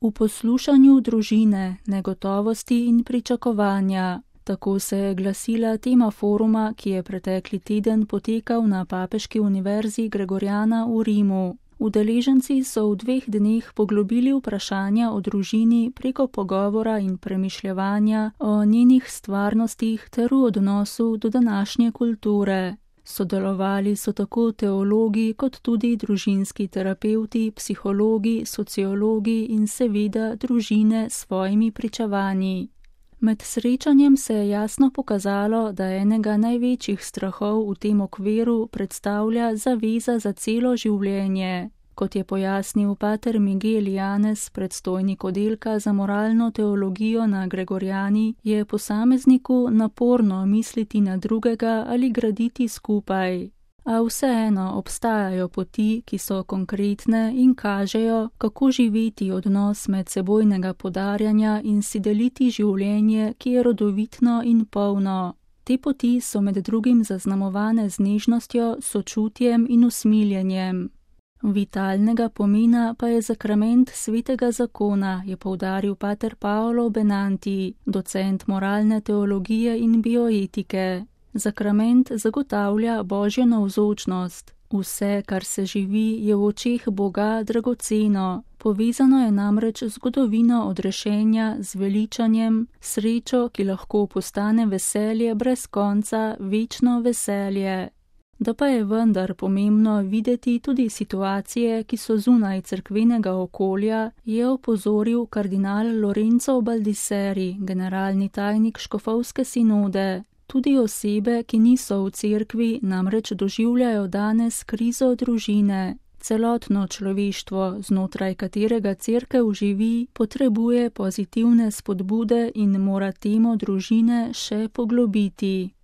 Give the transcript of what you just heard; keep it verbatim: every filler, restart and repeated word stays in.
V poslušanju družine, negotovosti in pričakovanja. Tako se je glasila tema foruma, ki je pretekli teden potekal na Papeški univerzi Gregoriana v Rimu. Udeleženci so v dveh dneh poglobili vprašanja o družini preko pogovora in premišljevanja o njenih stvarnostih ter v odnosu do današnje kulture. Sodelovali so tako teologi kot tudi družinski terapevti, psihologi, sociologi in seveda družine s svojimi pričevanji. Med srečanjem se je jasno pokazalo, da enega največjih strahov v tem okviru predstavlja zaveza za celo življenje. Kot je pojasnil pater Miguel Janez, predstojnik oddelka za moralno teologijo na Gregoriani, je posamezniku naporno misliti na drugega ali graditi skupaj. A vseeno obstajajo poti, ki so konkretne in kažejo, kako živeti odnos medsebojnega podarjanja in si deliti življenje, ki je rodovitno in polno. Te poti so med drugim zaznamovane z nežnostjo, sočutjem in usmiljenjem. Vitalnega pomena pa je zakrament svetega zakona, je poudaril pater Paolo Benanti, docent moralne teologije in bioetike. Zakrament zagotavlja Božjo navzočnost. Vse, kar se živi, je v očeh Boga dragoceno. Povezano je namreč zgodovino odrešenja z veličanjem, srečo, ki lahko postane veselje brez konca, večno veselje. Da pa je vendar pomembno videti tudi situacije, ki so zunaj cerkvenega okolja, je opozoril kardinal Lorenzo Baldisseri, generalni tajnik škofovske sinode. Tudi osebe, ki niso v cerkvi, namreč doživljajo danes krizo družine. Celotno človeštvo, znotraj katerega cerkev živi, potrebuje pozitivne spodbude in mora temo družine še poglobiti.